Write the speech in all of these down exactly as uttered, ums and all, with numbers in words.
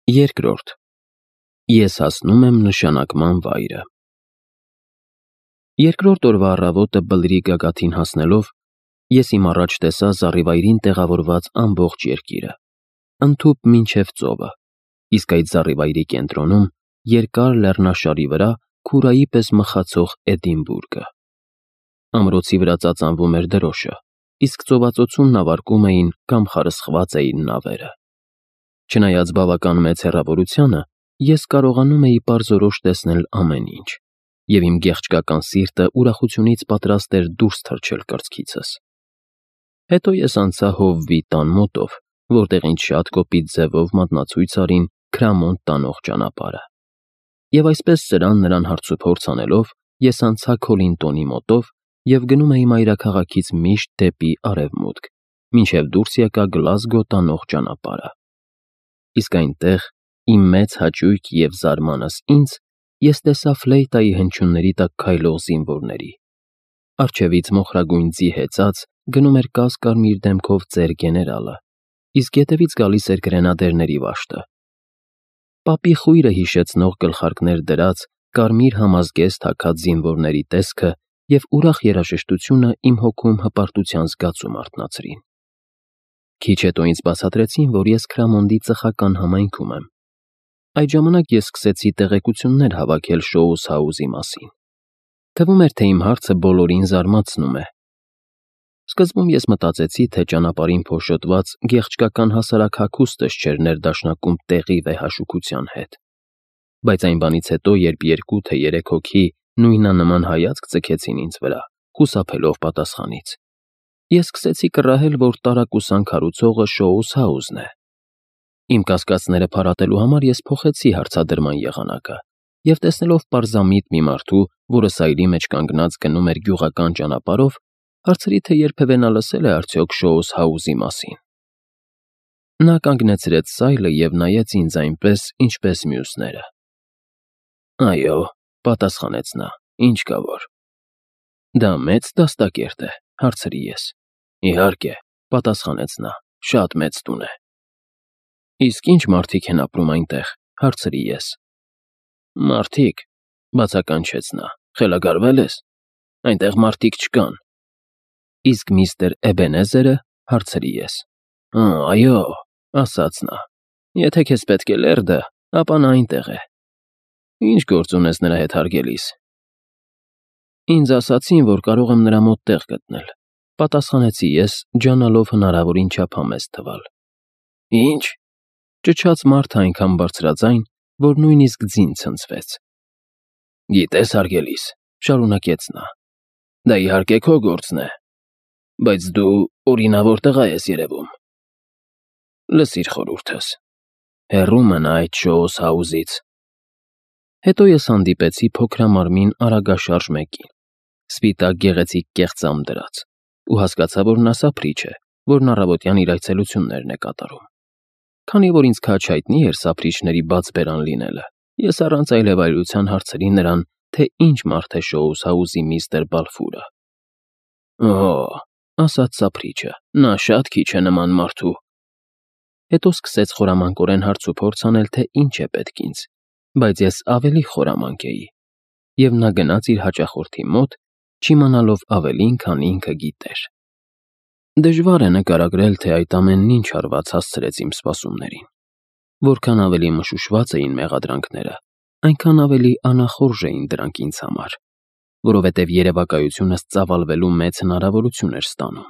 Երկրորդ. Ես հասնում եմ նշանակման վայրը։ Երկրորդ օրվա առավոտը բլրի գագաթին հասնելով, ես իմ առաջ տեսա զառիվայրին տեղավորված ամբողջ երկիրը, ընդհուպ մինչև ծովը, իսկ այդ զառիվայրի կենտրոնում, երկար լեռնաշարի վրա, քուրայի պես մխացող Էդինբուրգը։ Ամրոցի վրա ծածանվում էր դրոշը, իսկ ծովածոցում նավարկում էին կամ խարսխված էին նավերը։ Չնայած բավական մեծ հեռավորությանը, ես կարողանում էի պարզորոշ տեսնել ամեն ինչ, և իմ գեղեցկական սիրտը ուրախությունից պատրաստ էր դուրս թռչել կրծքիցս։ Հետո ես անցա Հովվի տան մոտով, որտեղ ինձ շատ կոպիտ ձևով մատնացույց արին Քրամոնտ տանող ճանապարհը։ Եվ այսպես սրան նրան հարցուփորձ անելով, ես անցա Քոլինտոնի մոտով և գնում էի մայրաքաղաքից միշտ դեպի արևմուտք, մինչև դուրս եկա Գլազգո տանող ճանապարհը։ Իսկ այնտեղ, իմ մեծ հաճույք և զարմանս ինձ, ես տեսա ֆլեյտայի հնչյունների տակ քայլող զինվորների։ Առջևից մոխրագույն ձի հեծած գնում էր կաս֊կարմիր դեմքով ծեր գեներալը, իսկ ետևից գալիս էր գրենադերների վաշտը։ Պապի խույրը հիշեցնող գլխարկներ դրած, կարմիր համազգեստ հագած զինվորների տեսքը և ուրախ երաժշտությունը իմ հոգում հպարտության զգացում արթնացրին։ Քիչ հետո ինձ բացատրեցին, որ ես Քրամոնդի ծխական համայնքում եմ։ Այդ ժամանակ ես սկսեցի տեղեկություններ հավաքել Շոուս մասին։ Թվում էր, թե իմ հարցը բոլորին զարմացնում է։ Սկզբում ես մտածեցի, թե ճանապարհին փոշոտված գեղեցկական հասարակ հագուստս չէր ներդաշնակում տեղի վեհաշուքության հետ։ Բայց այն բանից հետո, երբ երկու թե երեք հոգի նույնանման հայացք ձգեցին ինձ վրա, խուսափելով պատասխանից, ես սկսեցի կռահել, որ տարակուսանք հարուցողը Շոուս Հաուսն է։ Իմ կասկածները փարատելու համար ես փոխեցի հարցադրման եղանակը և տեսնելով պարզամիտ մի մարդու, որը սայլի մեջ կանգնած գնում էր գյուղական ճանապարհով, հարցրի, թե երբևէ նա լսել է արդյոք Շոուս Հաուսի մասին։ Նա կանգնեցրեց սայլը և նայեց ինձ այնպես, ինչպես մյուսները։ Այո, պատասխանեց նա, ինչ կա որ։ Դա մեծ դաստակերտ է, հարցրի ես։ Իհարկե, պատասխանեց նա, շատ մեծ տուն է։ Իսկ ինչ մարդիկ են ապրում այնտեղ, հարցրի ես։ Մարդիկ, բացականչեց նա, խելագարվե՞լ ես։ Այնտեղ մարդիկ չկան։ Իսկ միստր Էբենեզերը, հարցրի ես։ Այո, ասաց նա, եթե քեզ պետք է լերդը, ապա նա այնտեղ է։ Ինչ գործ ունես նրա հետ հարգելիս։ Ինձ ասացին, որ կարող եմ նրա մոտ տեղ գտնել, պատասխանեցի ես, ջանալով հնարավորին չափ համեստ թվալ։ Ինչ։ Ճչաց մարդը այնքան բարձրաձայն, որ նույնիսկ ձին ցնցվեց։ Գիտես, հարգելիս, շարունակեց նա, դա իհարկե քո գործն է, բայց դու օրինավոր տղա ես երևում։ Լսիր խորհուրդս, հեռու մնա այդ Շոուս Հաուսից։ Հետո ես հանդիպեցի փոքրամարմին արագաշարժ մեկին, սպիտակ գեղեցիկ կեղծամ դրած, ու հասկացա, որ նա սափրիչ է, որն առավոտյան իր այցելություններն է կատարում։ Քանի որ ինձ քաջ հայտնի էր սափրիչների բաց բերան լինելը, ես առանց այլևայրության հարցրի նրան, թե ինչ մարդ է Շոուս Հաուսի միստր Բալֆուրը։ Օ, ասաց սափրիչը, նա շատ քիչ է նման մարդու։ Հետո սկսեց խորամանկորեն հարցուփորձ անել, թե ինչ է պետք ինձ, բայց ես ավելի խորամանկ էի, և նա գնաց իր հաճախորդի մոտ, չիմանալով ավելին, քան ինքը գիտեր։ Դժվար է նկարագրել, թե այդ ամենն ինչ հարված հասցրեց իմ սպասումներին։ Որքան ավելի մշուշված էին մեղադրանքները, այնքան ավելի անախորժ էին դրանք ինձ համար, որովհետև երևակայությունս ծավալվելու մեծ հնարավորություն էր ստանում։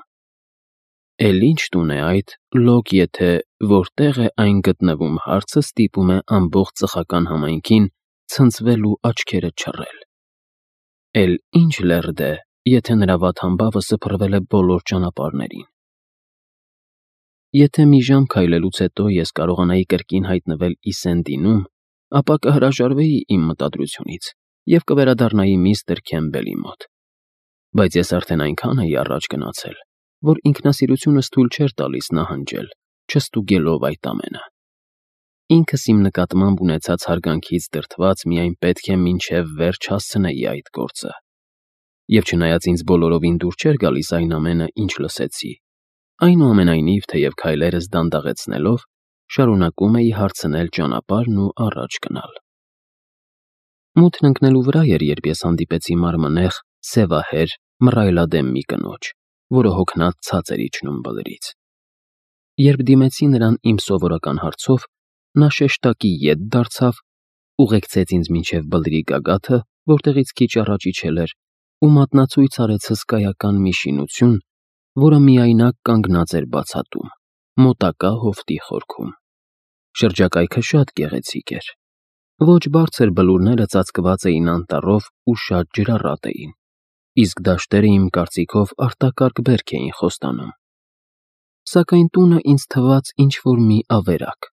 Էլ ինչ տուն է այդ, լոկ եթե որտեղ է այն գտնվում հարցը ստիպում է ամբողջ ծխական համայնքին ցնցվել ու աչքերը չռել։ Էլ ինչ լերդ է, եթե նրա վատ համբավը սփռվել է բոլոր ճանապարհներին։ Եթե մի ժամ քայլելուց հետո ես կարողանայի կրկին հայտնվել Իսենդինում, ապա կհրաժարվեի իմ մտադրությունից և կվերադառնայի միստր Քեմբելի մոտ։ Բայց ես արդեն այնքան էի առաջ գնացել, որ ինքնասիրությունս թույլ չէր տալիս նահանջել, չստուգելով այդ ամենը։ Ինքս իմ նկատմամբ ունեցած հարգանքից դրդված միայն պետք է մինչև վերջ հասցնեի այդ գործը։ Եվ չնայած ինձ բոլորովին դուր չէր գալիս այն ամենը, ինչ լսեցի, այնուամենայնիվ, թեև քայլերս դանդաղեցնելով, շարունակում էի հարցնել ճանապարհն ու առաջ գնալ։ Մութն ընկնելու վրա էր, երբ ես հանդիպեցի մարմնեղ, սևահեր, մռայլադեմ մի կնոջ, որը հոգնած ցած էր իջնում բլրից։ Երբ դիմեցի նրան իմ սովորական հարցով, նա շեշտակի ետ դարձավ, ուղեկցեց ինձ մինչև բլրի գագաթը, որտեղից քիչ առաջ իջել էր, ու մատնացույց արեց հսկայական մի շինություն, որը միայնակ կանգնած էր բացատում, մոտակա հովտի խորքում։ Շրջակայքը շատ գեղեցիկ էր։ Ոչ բարձր բլուրները ծածկված էին անտառով ու շատ ջրառատ էին, իսկ դաշտերը իմ կարծիքով արտակարգ բերք էին խոստանում։ Սակայն տունը ինձ թվաց ինչ-որ մի ավերակ։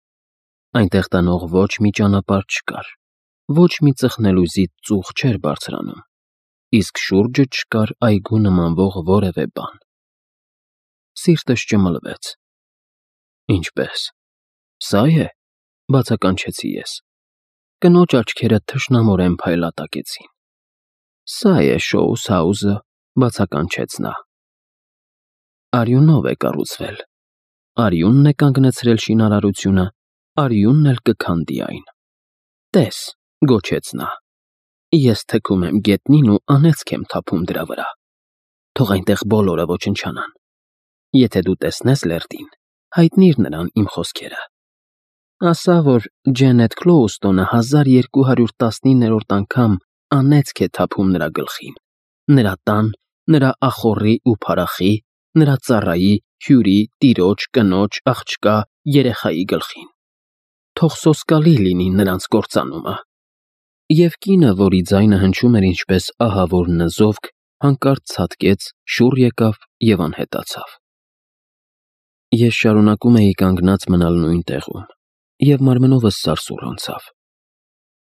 Այնտեղ տանող ոչ մի ճանապարհ չկար, ոչ մի ծխնելուզից ծուխ չէր բարձրանում, իսկ շուրջը չկար այգու նմանվող որևէ բան։ Սիրտս ճմլվեց։ Ինչպե՞ս։ Սա՞ է, բացականչեցի ես։ Կնոջ աչքերը թշնամորեն փայլատակեցին։ Սա է Շոուս Հաուսը, բացականչեց նա։ Արյունով է կառուցվել։ Արյունն է կանգնեցրել շինարարությունը, արյունն էլ կքանդի այն։ Տես, գոչեց նա։ Ես թքում եմ գետնին ու անեծք եմ թափում դրա վրա։ Թող այնտեղ բոլորը ոչնչանան։ Եթե դու տեսնես Լերդին, հայտնիր նրան իմ խոսքերը։ Ասա, որ Ջենեթ Քլոուստոնը հազար երկու հարյուր տասնիններորդ անգամ անեծք է թափում նրա գլխին, նրա տան, նրա ախոռի ու փարախի, նրա ծառայի, հյուրի, տիրոջ, կնոջ, աղջկա, երեխայի գլխին։ Թող սոսկալի լինի նրանց կործանումը։ Եվ կինը, որի ձայնը հնչում էր ինչպես ահավոր նզովք, հանկարծ ցատկեց, շուռ եկավ և անհետացավ։ Ես շարունակում էի կանգնած մնալ նույն տեղում, և մարմնովս սարսուռ անցավ։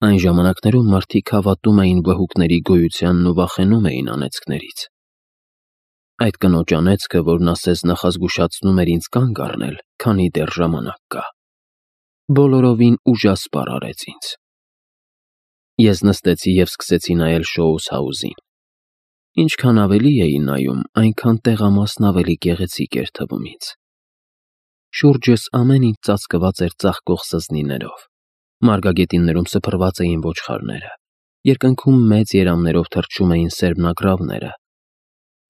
Այն ժամանակներում մարդիկ հավատում էին վհուկների գոյությանն ու վախենում էին անեծքներից։ Այդ կնոջ անեծքը, որն ասես նախազգուշացնում էր ինձ կանգ առնել, քանի դեռ ժամանակ կա, բոլորովին ուժասպառ արեց ինձ։ Ես նստեցի և սկսեցի նայել Շոուս Հաուսին։ Ինչքան ավելի էի նայում, այնքան տեղամասն ավելի գեղեցիկ էր թվում ինձ։ Շուրջս ամեն ինչ ծածկված էր ծաղկող սզնիներով, մարգագետիններում սփռված էին ոչխարները, երկնքում մեծ երամներով թռչում էին սերմնագրավները։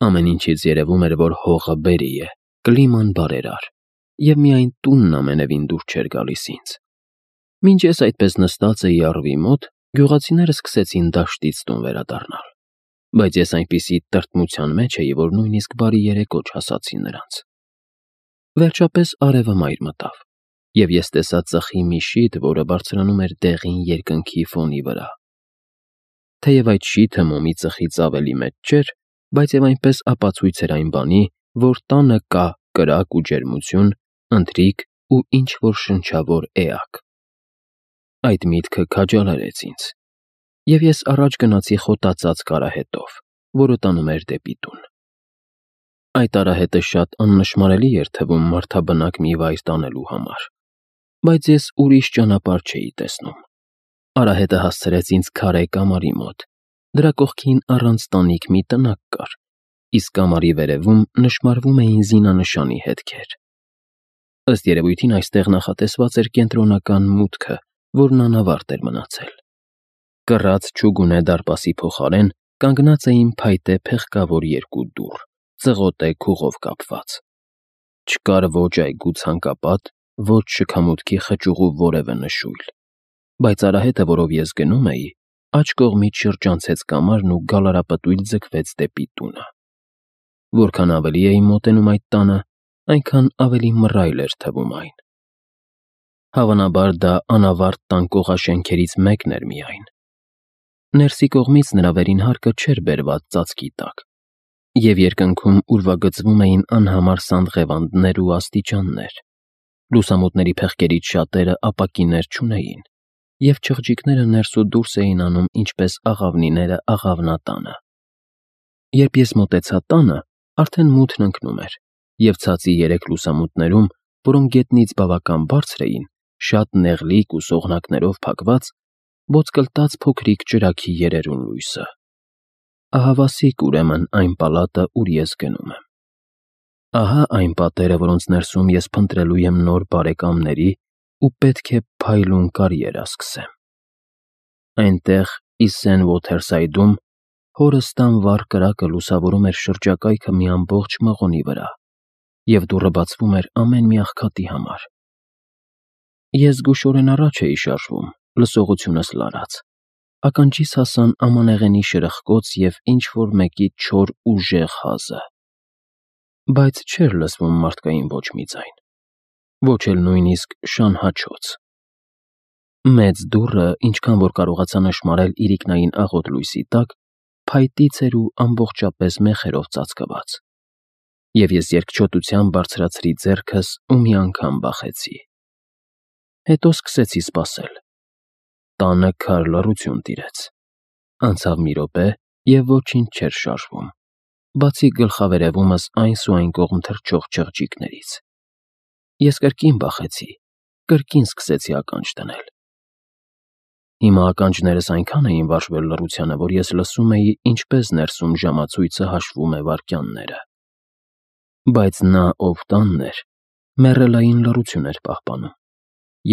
Ամեն ինչից երևում էր, որ հողը բերրի է, կլիման բարերար, և միայն տունն ամենևին դուր չէր գալիս ինձ։ Մինչ ես այդպես նստած էի առվի մոտ, գյուղացիները սկսեցին դաշտից տուն վերադառնալ, բայց ես այնպիսի տրտմության մեջ էի, որ նույնիսկ բարի երեկո չասացի նրանց։ Վերջապես արևը մայր մտավ, և ես տեսա ծխի մի շիթ, որը բարձրանում էր դեղին երկնքի ֆոնի վրա։ Թեև այդ շիթը մոմի ծխից ավելի մեծ չէր, բայց և այնպես ապացույց էր այն բանի, որ տանը կա կրակ ու ջերմություն, ընթրիք ու ինչ-որ շնչավոր էակ։ Այդ միտքը քաջալերեց ինձ, և ես առաջ գնացի խոտածածկ արահետով, որը տանում էր դեպի տուն։ Այդ արահետը շատ աննշմարելի էր թվում մարդաբնակ մի վայր տանելու համար, բայց ես ուրիշ ճանապարհ չէի տեսնում։ Արահետը հասցրեց ինձ քարե կամարի մոտ, դրա կողքին առանց տանիք մի տնակ կար, իսկ կամարի վերևում նշմարվում էին զինանշանի հետքեր։ Ըստ երևույթին այստեղ նախատեսված էր կենտրոնական մուտքը, որն անավարտ էր մնացել։ Կռած չուգունե դարպասի փոխարեն կանգնած էին փայտե փեղկավոր երկու դուռ, ծղոտե քուղով կապված։ Չկար ոչ այգու ցանկապատ, ոչ շքամուտքի խճուղու որևէ նշույլ, բայց արահետը, որով ես գնում էի, աջ կողմից շրջանցեց կամարն ու գալարապտույտ ձգվեց դեպի տունը։ Որքան ավելի էի մոտենում այդ տանը, այնքան ավելի մռայլ էր թվում այն։ Հավանաբար դա անավարտ տան կողաշենքերից մեկն էր միայն։ Ներսի կողմից նրա վերին հարկը չէր բերված ծածկի տակ, և երկնքում ուրվագծվում էին անհամար սանդղևանդներ ու աստիճաններ։ Լուսամուտների փեղկերից շատերը ապակիներ չունեին, և չղջիկները ներս ու դուրս էին անում ինչպես աղավնիները աղավնատանը։ Երբ ես մոտեցա տանը, արդեն մութն ընկնում էր, և ցածի երեք լուսամուտներում, որոնք գետնից բավական բարձր էին, շատ նեղլիկ ու սողնակներով փակված, ոտկլտաց փոքրիկ ճրագի երերուն լույսը։ Ահավասիկ ուրեմն այն պալատը, ուր ես գնում եմ։ Ահա այն պատերը, որոնց ներսում ես փնտրելու եմ նոր բարեկամների ու պետք է փայլուն կարիերա սկսեմ։ Այնտեղ, Իսեն Ոթերսայդում, հորս տան վառ կրակը լուսավորում էր շրջակայքը մի ամբողջ մղոնի վրա, և դուռը բացվում էր ամեն մի աղքատի համար։ Ես զգուշորեն առաջ էի շարժվում, լսողությունս լարած, ականջիս հասան ամանեղենի շրխկոց և ինչ-որ մեկի չոր ուժեղ հազը։ Բայց չէր լսվում մարդկային ոչ մի ձայն, ոչ էլ նույնիսկ շան֊հաչոց։ Մեծ դուռը, ինչքան որ կարողացա նշմարել իրիկնային աղոտ լույսի տակ, փայտից էր ու ամբողջապես մեխերով ծածկված, և ես երկչոտությամբ բարձրացրի ձեռքս ու մի անգամ բախեցի։ Հետո սկսեցի սպասել։ Տանը քար լռություն տիրեց։ Անցավ մի րոպե, և ոչինչ չէր շարժվում, բացի գլխավերևումս այն սու այն կողմ թռչող չղջիկներից։ Ես կրկին բախեցի, կրկին սկսեցի ականջ դնել։ Հիմա ականջներս այնքան էին վարժվել լռությանը, որ ես լսում էի, ինչպես ներսում ժամացույցը հաշվում է վայրկյանները։ Բայց նա, ով տանն էր, մեռելային լռություն էր պահպանում,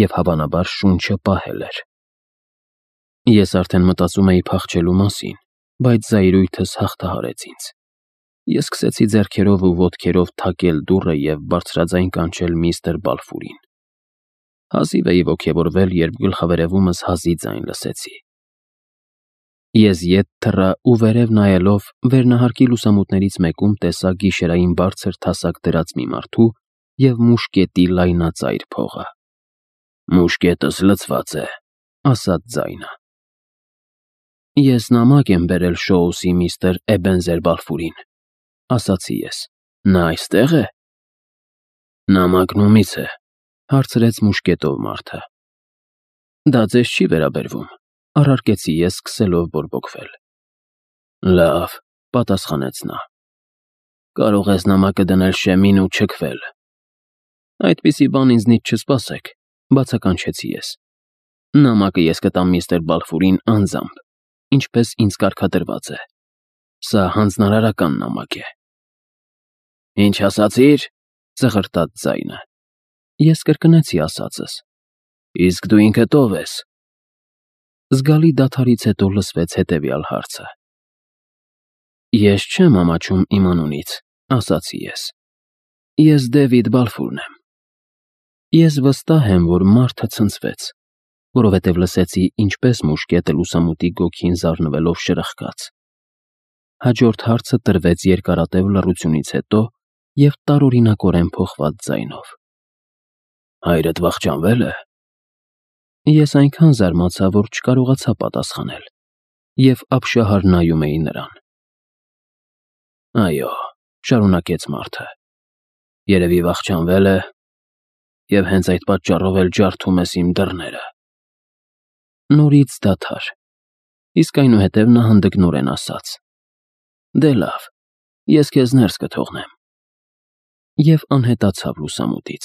և հավանաբար շունչը պահել էր։ Ես արդեն մտածում էի փախչելու մասին, բայց զայրույթս հաղթահարեց ինձ։ Ես սկսեցի ձեռքերով ու ոտքերով թակել դուռը և բարձրաձայն կանչել միստր Բալֆուրին։ Հազիվ էի ոգևորվել, երբ գլխավերևումս հազի ձայն լսեցի։ Ես ետ թռա ու վերև նայելով վերնահարկի լուսամուտներից մեկում տեսա գիշերային բարձր թասակ դրած մի մարդու և մուշկետի լայնածայր փողը։ «Մուշկետս լցված է», ասաց ձայնը։ «Ես նամակ եմ բերել Շոուսի միստր Էբենզեր Բալֆուրին», ասացի ես։ «Նա այստե՞ղ է»։ «Նամակն ումի՞ց է», հարցրեց մուշկետով մարդը։ «Դա ձեզ չի վերաբերվում», առարկեցի ես, սկսելով բորբոքվել։ «Լավ», պատասխանեց նա։ «Կարող ես նամակը դնել շեմին ու չքվել»։ «Այդպիսի բան ինձնից չսպասեք», բացականչեցի ես։ «Նամակը ես կտամ միստր Բալֆուրին անձամբ, ինչպես ինձ կարգադրված է։ Սա հանձնարարական նամակ է»։ «Ինչ ասացիր»։ Ծղրտաց ձայնը։ Ես կրկնեցի ասածս։ «Իսկ դու ինքդ ով ես»։ Զգալի դադարից հետո լսվեց հետևյալ հարցը։ «Ես չեմ ամաչում իմ անունից», ասացի ես։ «Ես Դեվիդ Բալֆուրն եմ»։ Ես վստահ եմ, որ մարդը ցնցվեց, որովհետև լսեցի, ինչպես մուշկետը լուսամուտի գոգին զարնվելով շրխկաց։ Հաջորդ հարցը տրվեց երկարատև լռությունից հետո և տարօրինակորեն փոխված ձայնով։ «Հայրդ վախճանվե՞լ է»։ Ես այնքան զարմացա, որ չկարողացա պատասխանել, և ապշահար նայում էի նրան։ «Այո», շարունակեց մարդը, «երևի վախճանվել է, և հենց այդ պատճառով էլ ջարդում ես իմ դռները»։ Նորից դադար, իսկ այնուհետև նա հանդգնորեն ասաց. «Դե լավ, ես քեզ ներս կթողնեմ», և անհետացավ լուսամուտից։